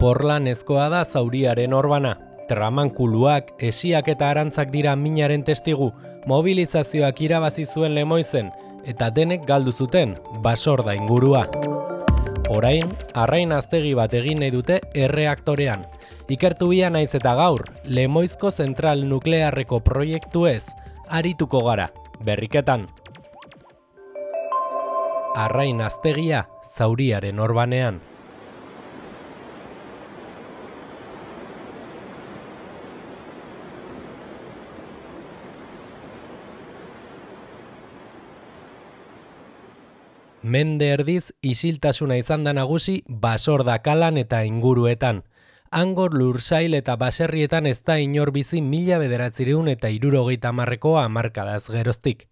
Porlanezkoa da zauriaren orbana. Tramankuluak, esiak eta arantzak dira minaren testigu, mobilizazioak irabazi zuen Lemoizen, eta denek galdu zuten, Basorda ingurua. Orain, arrain aztegi bat egin nahi dute erreaktorean. Ikertu bia naiz eta gaur, Lemoizko zentral nuklearreko proiektuez, arituko gara, berriketan. Arrain aztegia, zauriaren orbanean. Mende erdiz isiltasuna izan da nagusi Basorda kalan eta inguruetan. Hango lursail eta baserrietan ez da inor bizi 1970ko hamarkadaz geroztik.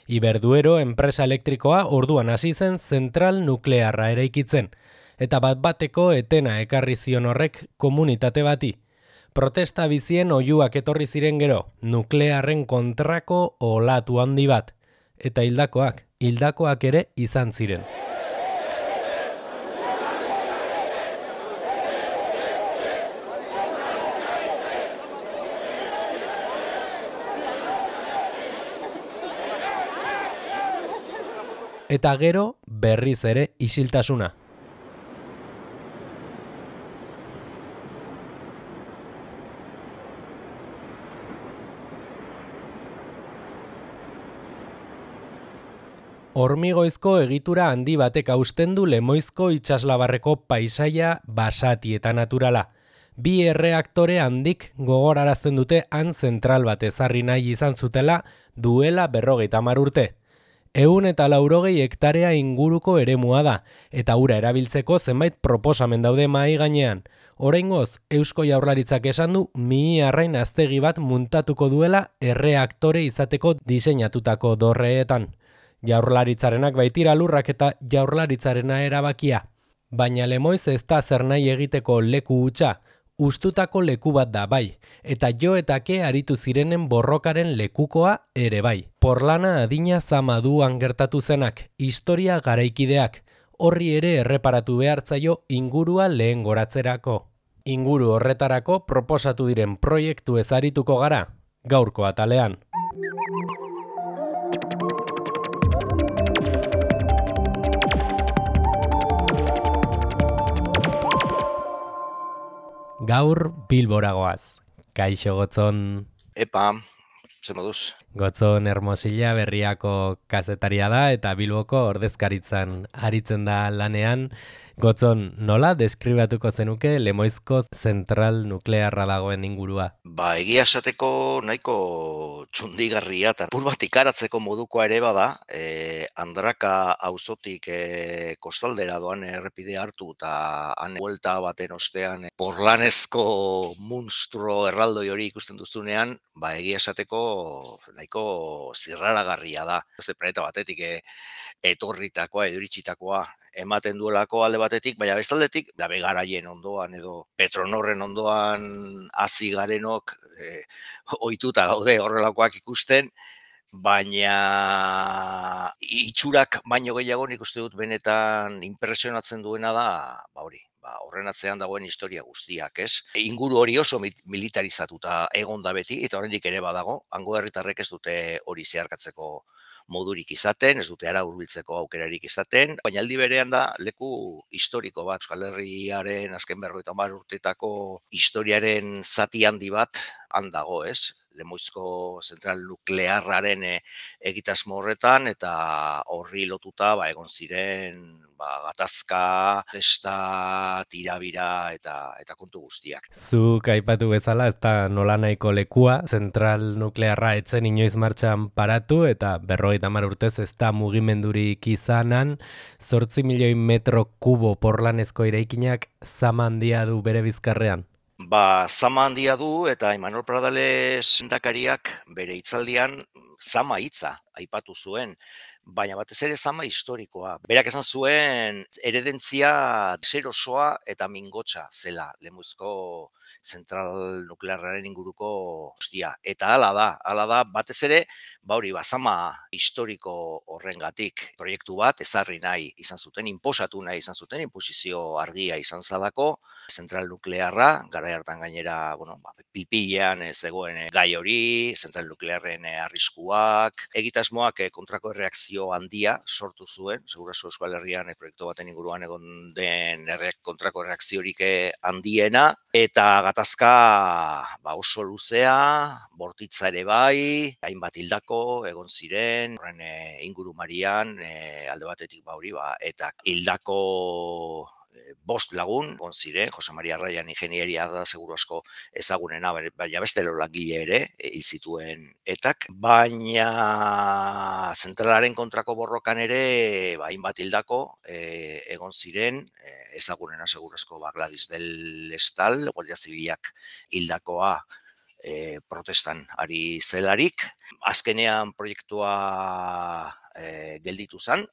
Iberduero enpresa elektrikoa orduan hasi zen zentral nuklearra eraikitzen, eta bat-bateko etena ekarri zion horrek komunitate bati. Protesta bizien oihuak etorri ziren gero, nuklearren kontrako olatu handi bat, eta hildakoak ere izan ziren. Eta gero berriz ere isiltasuna. Hormigoizko egitura handi batek hausten du Lemoizko itsaslabarreko paisaia basati eta naturala. Bi erreaktore handik gogorarazten dute han zentral bat ezarri nahi izan zutela duela 50 urte. 180 hektarea inguruko eremua da, eta ura erabiltzeko zenbait proposamen daude mahai gainean. Oraingoz, Eusko Jaurlaritzak esan du arrain aztegi bat muntatuko duela erreaktore izateko diseinatutako dorreetan. Jaurlaritzarenak baitira lurrak eta Jaurlaritzarena erabakia. Baina Lemoiz ez da zer nahi egiteko leku hutsa, ustutako leku bat da bai, eta jo eta ke aritu zirenen borrokaren lekukoa ere bai. Porlana adina zamaduan gertatu zenak, historia garaikideak, horri ere erreparatu behartzaio ingurua lehen goratzerako. Inguru horretarako proposatu diren proiektu ez arituko gara, gaurko atalean. Gaur Bilbora goaz. Kaixo Gotzon. Epa, ze moduz? Gotzon Hermosilla Berriako kazetaria da eta Bilboko ordezkaritzan aritzen da lanean. Gotzon, nola deskribatuko zenuke Lemoizko zentral nuklearra dagoen ingurua? Egia esateko nahiko txundigarria eta apur bat ikaratzeko modukoa ere bada, Andraka auzotik kostaldera doan errepidea hartu eta han buelta baten ostean porlanezko munstro erraldoi hori ikusten duzunean, egia esateko nahiko zirraragarria da. Beste planeta batetik etorritakoa, eduritsitakoa ematen duelako alde batetik, baina bestaldetik, garaien ondoan edo Petronorren ondoan hasi garenok ohituta gaude horrelakoak ikusten, baina itxurak baino gehiago nik uste dut benetan impresionatzen duena da, horren atzean dagoen historia guztiak, ez? Inguru hori oso militarizatuta egon da beti, eta oraindik ere badago, hango herritarrek ez dute hori zeharkatzeko modurik izaten, ez dute ara hurbiltzeko aukerarik izaten, baina aldi berean da leku historiko bat, Euskal Herriaren azken 50 urtetako historiaren zati handi bat han dago, ez? Lemoizko zentral nuklearraren egitasmo horretan, eta horri lotuta egon ziren gatazka, testa, tirabira eta kontu guztiak. Zuk aipatu bezala, ez da nolanahiko lekua, zentral nuklearra etzen inoiz martxan paratu, eta 50 urtez ez da mugimendurik izanan, 8 milioi metro kubo porlanezko eraikinak zama handia du bere bizkarrean. Zama handia du, eta Imanol Pradales lehendakariak bere hitzaldian zama hitza aipatu zuen, baina batez ere zama historikoa. Berak esan zuen eredentzia deserosoa eta mingotsa zela Lemoizko zentral nuklearraren inguruko guztia. Eta hala da, batez ere, hori, bazama historiko horrengatik proiektu bat ezarri nahi izan zuten, inposatu nahi izan zuten, inposizio argia izan zalako, zentral nuklearra, garai hartan gainera, pilpilean zegoen gai hori, zentral nuklearren arriskuak, egitasmoak kontrako erreakzio handia sortu zuen, segurazko Euskal Herrian proiektu baten inguruan egon den kontrako erreakziorik handiena, eta gatazka oso luzea, bortitza ere bai, hainbat hildako egon ziren, horren ingurumarian, alde batetik eta hildako 5 lagun, egon ziren, Jose Maria Raian ingenieria da seguru asko ezagunena, baina beste langile ere hil zituen etak, baina zentralaren kontrako borrokan ere hainbat hildako egon ziren, ezagunena seguru asko Gladys del Estal, Guardia Zibilak hildakoa protestan ari zelarik. Azkenean proiektua gelditu zen,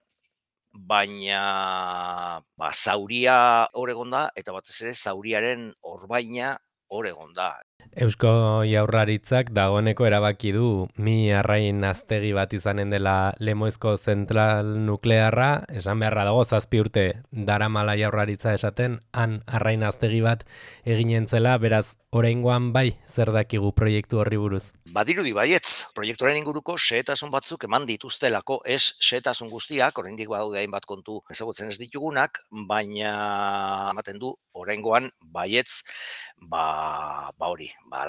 baina zauria hor egon da, eta batez ere zauriaren orbaina hor egon da. Eusko Jaurlaritzak dagoeneko erabaki du mi arrain aztegi bat izanen dela Lemoizko zentral nuklearra, esan beharra dago 7 urte daramala Jaurlaritza esaten, han arrain aztegi bat eginen zela, beraz oraingoan bai zer dakigu proiektu horri buruz. Badirudi baietz, proiektuaren inguruko xehetasun batzuk eman dituztelako, ez xehetasun guztiak, oraindik badaude hainbat kontu ezagutzen ez ditugunak, baina ematen du oraingoan baietz,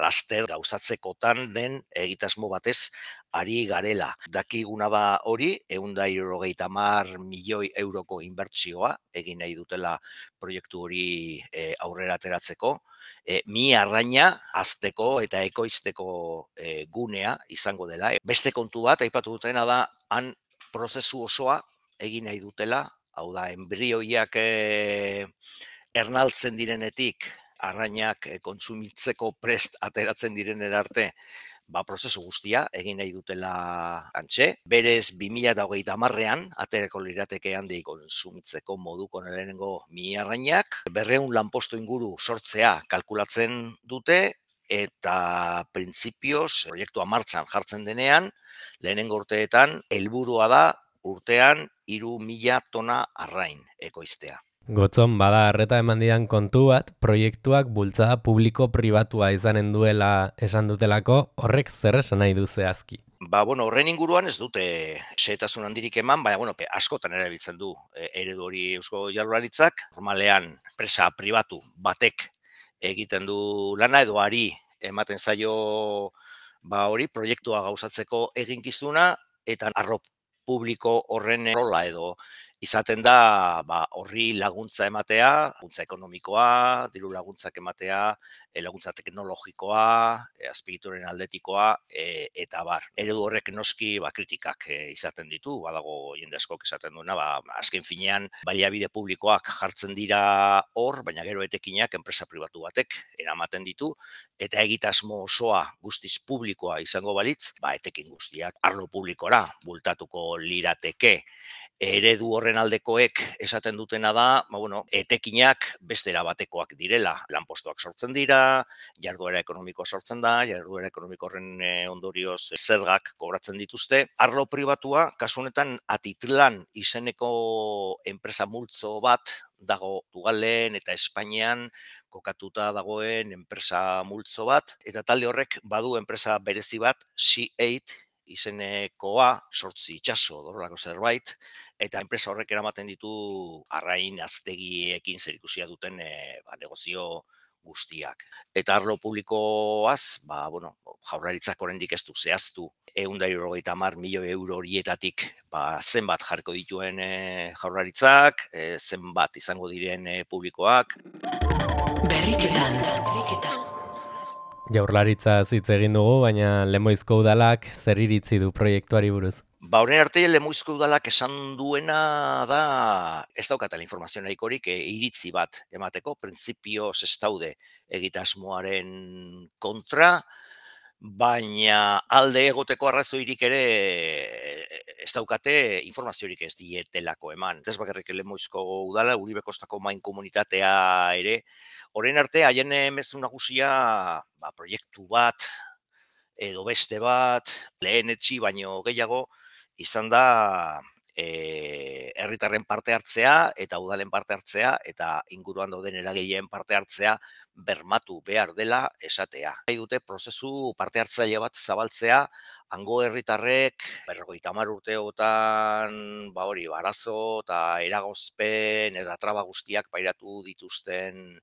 laster gauzatzekotan den egitasmo batez ari garela. Dakiguna da hori, 170 milioi euroko inbertsioa egin nahi dutela proiektu hori aurrera ateratzeko. Mi arraina hazteko eta ekoizteko gunea izango dela. Beste kontu bat, aipatu dutena da, han prozesu osoa egin nahi dutela, hau da, enbrioiak ernaltzen direnetik, arrainak kontsumitzeko prest ateratzen direnera arte, prozesu guztia egin nahi dutela antxe. Berez 2030ean aterako lirateke handik kontsumitzeko moduko lehenengo mi arrainak. 200 lanpostu inguru sortzea kalkulatzen dute, eta printzipioz proiektua martxan jartzen denean, lehenengo urteetan helburua da urtean 3.000 tona arrain ekoiztea. Gotzon, bada arreta eman didan kontu bat, proiektuak bultzada publiko-pribatua izanen duela esan dutelako, horrek zer esan nahi du zehazki? Horren inguruan ez dute xehetasun handirik eman, baina askotan erabiltzen du eredu hori Eusko Jaurlaritzak. Normalean, enpresa pribatu batek egiten du lana edo ari ematen zaio hori proiektua gauzatzeko eginkizuna, eta arlo publiko horren rola edo izaten da horri laguntza ematea, laguntza ekonomikoa, diru laguntzak ematea, laguntza teknologikoa, azpiegituren aldetikoa, eta bar. Eredu horrek noski kritikak izaten ditu, badago jende askok esaten duena, azken finean baliabide publikoak jartzen dira hor, baina gero etekinak enpresa pribatu batek eramaten ditu, eta egitasmo osoa guztiz publikoa izango balitz, etekin guztiak arlo publikora bultatuko lirateke. Eredu horren aldekoek esaten dutena da, etekinak beste erabatekoak direla, lanpostuak sortzen dira, jarduera ekonomikoa sortzen da, jarduera ekonomiko horren ondorioz zergak kobratzen dituzte. Arlo pribatua, kasu honetan Atitlan izeneko enpresa multzo bat dago Portugalen eta Espainian kokatuta dagoen enpresa multzo bat, eta talde horrek badu enpresa berezi bat, C8 izenekoa, 8 itsaso horrelako zerbait, eta enpresa horrek eramaten ditu arrain aztegiekin zerikusia duten negozio guztiak. Eta arlo publikoaz, Jaurlaritzak oraindik ez du zehaztu 170 milioi euro horietatik zenbat jarriko dituen Jaurlaritzak, zenbat izango diren publikoak. Berriketan. Jaurlaritza hitz egin dugu, baina Lemoizko udalak zer iritzi du proiektuari buruz? Horren arte Lemoizko udalak esan duena da, ez daukatela informazio nahikorik iritzi bat emateko, printzipioz ez daude egitasmoaren kontra, baina alde egoteko arrazoirik ere ez daukate informaziorik ez dietelako eman. Ez bakarrik Lemoizko udala, Uribe Kostako main komunitatea ere, orain arte haien mezu nagusia proiektu bat edo beste bat, lehenetsi baino gehiago, izan da herritarren parte hartzea eta udalen parte hartzea eta inguruan dauden eragileen parte hartzea bermatu behar dela esatea. Nahi dute prozesu parte hartzaile bat zabaltzea, hango herritarrek 50 urteotan arazo eta eragozpen eta traba guztiak pairatu dituzten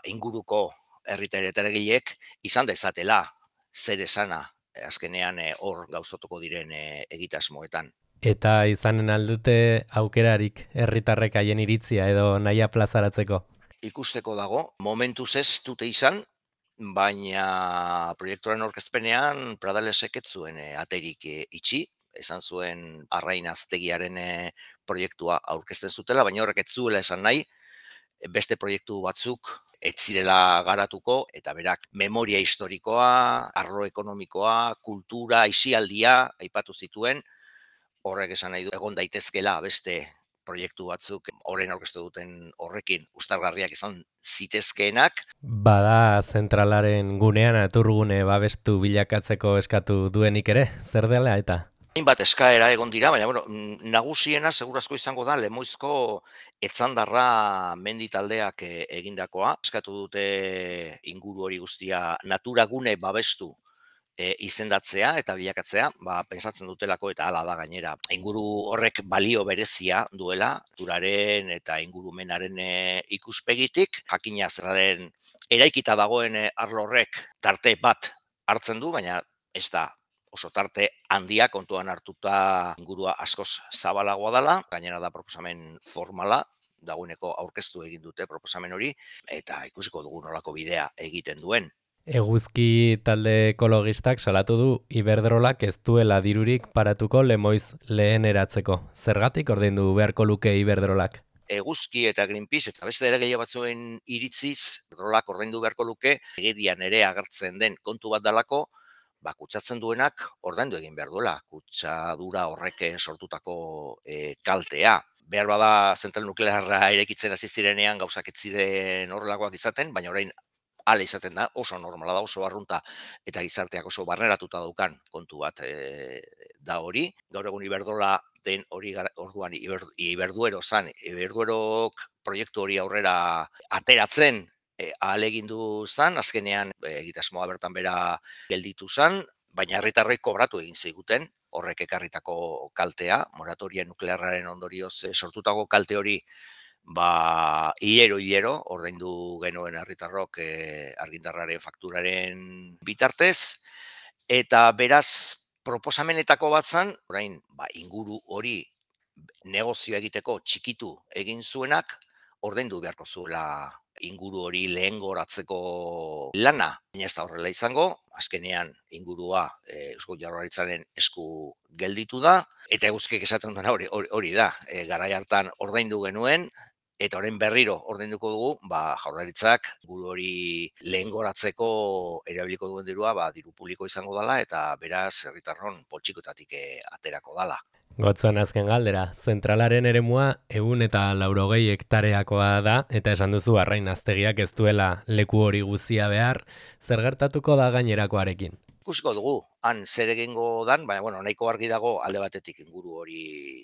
inguruko herritar eta eragileek izan dezatela zer esana azkenean hor gauzatuko diren egitasmoetan. Eta izanen aldute aukerarik herritarrek haien iritzia edo nahia plazaratzeko? Ikusteko dago, momentuz ez dute izan, baina proiektuaren aurkezpenean Pradalesek ez zuen aterik itxi, esan zuen Arrain Aztegiaren proiektua aurkezten zutela, baina horrek ez zuela esan nahi, beste proiektu batzuk ez zirela garatuko, eta berak memoria historikoa, arlo ekonomikoa, kultura, aisialdia aipatu zituen, horrek esan nahi du egon daitezkela beste proiektu batzuk orain aurkeztu duten horrekin uztargarriak izan zitezkeenak. Bada zentralaren gunean naturgune babestu bilakatzeko eskatu duenik ere, zer dela eta? Hainbat eskaera egon dira, baina nagusiena segurazko izango da Lemoizko Etzandarra mendi taldeak egindakoa. Eskatu dute inguru hori guztia naturagune babestu izendatzea eta bilakatzea, pentsatzen dutelako eta hala da gainera. Inguru horrek balio berezia duela, naturaren eta ingurumenaren ikuspegitik, jakina zerraren eraikita dagoen arlo horrek tarte bat hartzen du, baina ez da oso tarte handia kontuan hartuta ingurua askoz zabalagoa dela, gainera da proposamen formala, dagoeneko aurkeztu egin dute proposamen hori, eta ikusiko dugu nolako bidea egiten duen. Eguzki talde ekologistak salatu du Iberdrolak ez duela dirurik paratuko Lemoiz lehen eratzeko. Zergatik ordaindu beharko luke Iberdrolak? Eguzki eta Greenpeace eta beste eragile batzuen iritziz, Iberdrolak ordaindu beharko luke, legedian ere agertzen den kontu bat dalako, kutsatzen duenak ordaindu egin behar duela, kutsadura horrek sortutako kaltea. Behar bada zentral nuklearra irekitzen hasi zirenean gauzak ez ziren horrelakoak izaten, baina orain hala izaten da, oso normala da, oso arrunta eta gizarteak oso barneratuta daukan kontu bat da hori. Gaur egun Iberdrola den hori orduan Iberduero zan, Iberduerok proiektu hori aurrera ateratzen ahalegindu zan, azkenean egitasmoa bertan bera gelditu zan, baina herritarrek kobratu egin ziguten horrek ekarritako kaltea, moratoria nuklearraren ondorioz sortutako kalte hori hilero ordaindu genuen herritarrok argindarraren fakturaren bitartez, eta beraz proposamenetako bat zan, orain inguru hori negozio egiteko txikitu egin zuenak, ordaindu beharko zuela inguru hori lehengoratzeko lana. Baina ez da horrela izango, azkenean ingurua Eusko Jaurlaritzaren esku gelditu da, eta Eguzkik esaten duena hori da, garai hartan ordaindu genuen, eta orain berriro ordainduko dugu, Jaurlaritzak inguru hori lehengoratzeko erabiliko duen dirua, diru publiko izango dela, eta beraz herritarron poltsikotatik aterako dala. Gotzon azken galdera, zentralaren eremua 180 hektareakoa da, eta esan duzu Arrain Aztegiak ez duela leku hori guzia behar, zer gertatuko da gainerakoarekin? Ikusiko dugu, han zer egingo dan, baina nahiko argi dago alde batetik inguru hori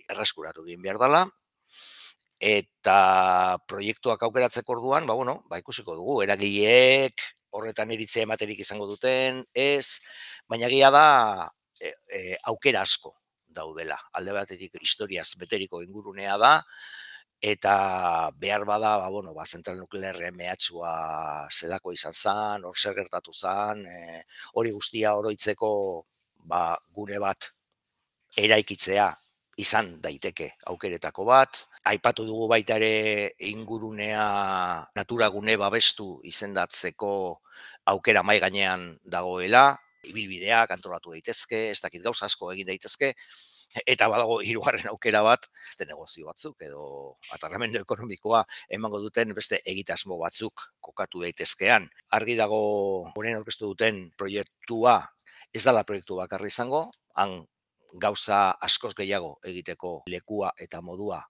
erreskuratu egin behar dela, eta proiektuak aukeratzeko orduan, ikusiko dugu, eragileek horretan iritzea ematerik izango duten, ez, baina egia da aukera asko daudela. Alde batetik historiaz beteriko ingurunea da, eta behar bada, zentral nuklearren mehatxua zelako izan zen, hor zer gertatu zen, hori guztia oroitzeko gune bat eraikitzea izan daiteke aukeretako bat. Aipatu dugu baita ere ingurunea naturagune babestu izendatzeko aukera mai gainean dagoela, ibilbideak antolatu daitezke, ez dakit gauza asko egin daitezke, Eta badago hirugarren aukera bat, beste negozio batzuk edo atarramendu ekonomikoa emango duten beste egitasmo batzuk kokatu daitezkean. Argi dago orain aurkeztu duten proiektua ez dela proiektu bakarra izango, han gauza askoz gehiago egiteko lekua eta modua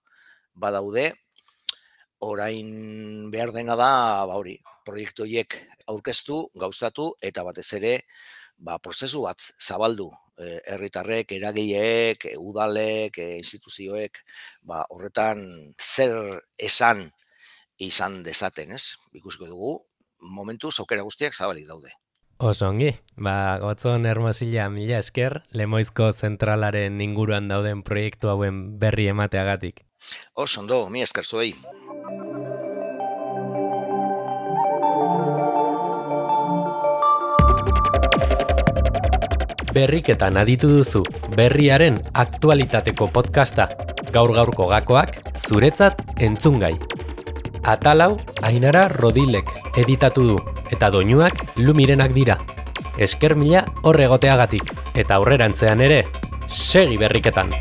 badaude. Orain behar dena da, proiektu horiek aurkeztu, gauzatu eta batez ere prozesu bat zabaldu. Herritarrek, eragileek, udalek, instituzioek, horretan zer esan izan dezaten, ez? Ikusiko dugu, momentuz aukera guztiak zabalik daude. Oso ongi, Gotzon Hermosilla, mila esker, Lemoizko zentralaren inguruan dauden proiektu hauen berri emateagatik. Oso ondo, mila esker zuei. Berriketan aditu duzu, berriaren aktualitateko podcasta, gaur-gaurko gakoak, zuretzat entzungai. Atalau, Ainara Rodilek editatu du, eta doinuak Lumirenak dira. Esker mila hor egoteagatik, eta aurrerantzean ere, segi berriketan!